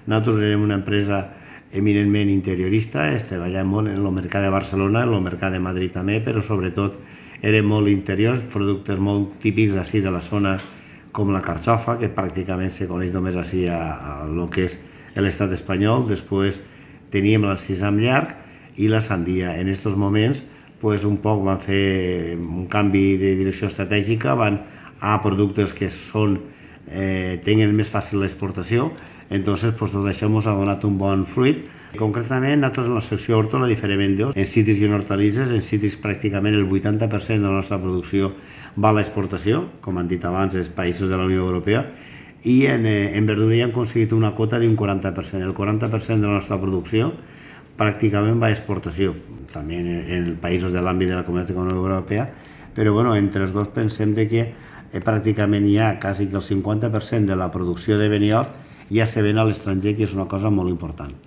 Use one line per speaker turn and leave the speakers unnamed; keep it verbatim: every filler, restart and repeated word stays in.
Nosaltres érem una empresa eminentment interiorista, treballàvem molt en el mercat de Barcelona, en el mercat de Madrid també, però sobretot eren molt interiors, productes molt típics d'ací de la zona, com la carxofa, que pràcticament se coneix només així a, a lo que és l'estat espanyol. Després teníem el sisam llarg i la sandia. En aquests moments pues, un poc van fer un canvi de direcció estratègica, van a productes que són, eh, tenen més fàcil l'exportació, entonces pues, tot això ens ha donat un bon fruit. Concretament, nosaltres en la secció horta la diferem en dos, en cítrics i en hortalisses. En cítrics pràcticament el vuitanta per cent de la nostra producció va a l'exportació, com han dit abans, els països de la Unió Europea, i en, eh, en verdura ja hem aconseguit una quota d'un quaranta per cent. El quaranta per cent de la nostra producció pràcticament va a exportació, també en, en països de l'àmbit de la Comunitat Econòmica Europea, però bueno, entre els dos pensem de que eh, pràcticament ja quasi que el cinquanta per cent de la producció de Benidorm ja se ven a l'estranger, que és una cosa molt important.